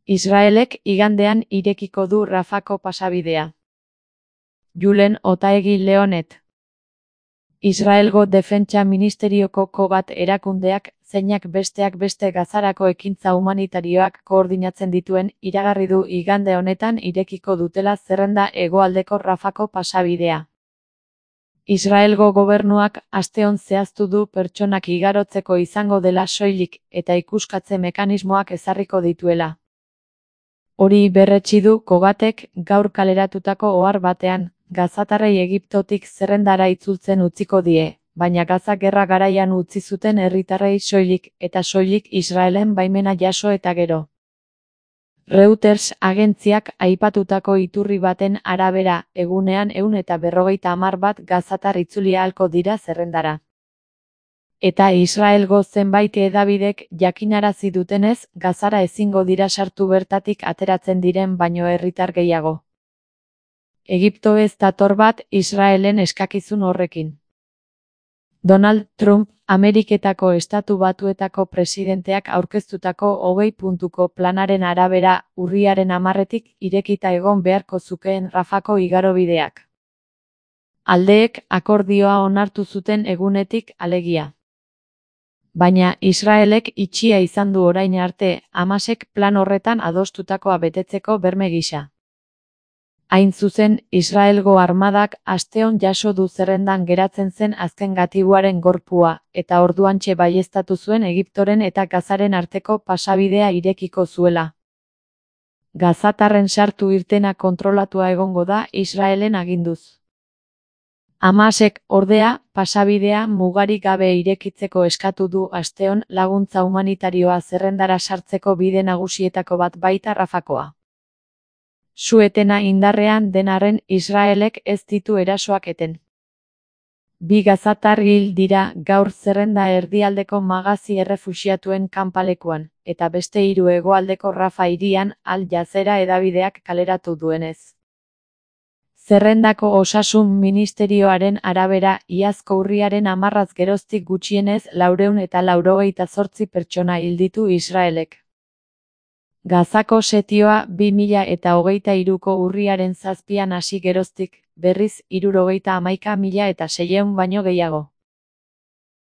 Israelek igandean irekiko du Rafako pasabidea. Julen Otaegi Leonet. Israelgo Defentsa Ministerioko bat erakundeak, zeinak besteak beste Gazarako ekintza humanitarioak koordinatzen dituen, iragarri du igande honetan irekiko dutela zerrenda hegoaldeko Rafako pasabidea. Israelgo gobernuak asteon zehaztu du pertsonak igarotzeko izango dela soilik eta ikuskatze mekanismoak ezarriko dituela. Hori berretsi du Kogatek gaur kaleratutako ohar batean, gazatarrei Egiptotik zerrendara itzultzen utziko die, baina Gaza gerra garaian utzi zuten herritarrei soilik eta soilik Israelen baimena jaso eta gero. Reuters agentziak aipatutako iturri baten arabera, egunean 150 bat gazatar itzuli ahalko dira zerrendara. Eta Israelgo zenbait hedabidek jakinarazi dutenez, Gazara ezingo dira sartu bertatik ateratzen diren baino herritar gehiago. Egipto ez dator bat Israelen eskakizun horrekin. Donald Trump, Ameriketako Estatu Batuetako presidenteak aurkeztutako 20 puntuko planaren arabera, urriaren 10-etik irekita egon beharko zukeen Rafako igarobideak. Aldeek akordioa onartu zuten egunetik alegia. Baina Israelek itxia izan du orain arte, Hamasek plan horretan adostutakoa betetzeko berme gisa. Hain zuzen, Israelgo armadak asteon jaso du zerrendan geratzen zen azken gatibuaren gorpua, eta orduantxe baieztatu zuen Egiptoren eta Gazaren arteko pasabidea irekiko zuela. Gazatarren sartu irtena kontrolatua egongo da Israelen aginduz. Hamasek, ordea, pasabidea mugarik gabe irekitzeko eskatu du asteon laguntza humanitarioa zerrendara sartzeko bide nagusietako bat baita Rafakoa. Su-etena indarrean denarren Israelek ez ditu erasoak eten. 2 gazatar hil dira gaur zerrenda erdialdeko Magazi errefuxiatuen kanpalekuan, eta beste 3 hegoaldeko Rafa hirian Al Jazeera hedabideak kaleratu duenez. Zerrendako osasun ministerioaren arabera, iazko urriaren 10 geroztik gutxienez 498 pertsona hil ditu Israelek. Gazako setioa 2023ko urriaren 7an hasi geroztik, berriz 71.600 baino gehiago.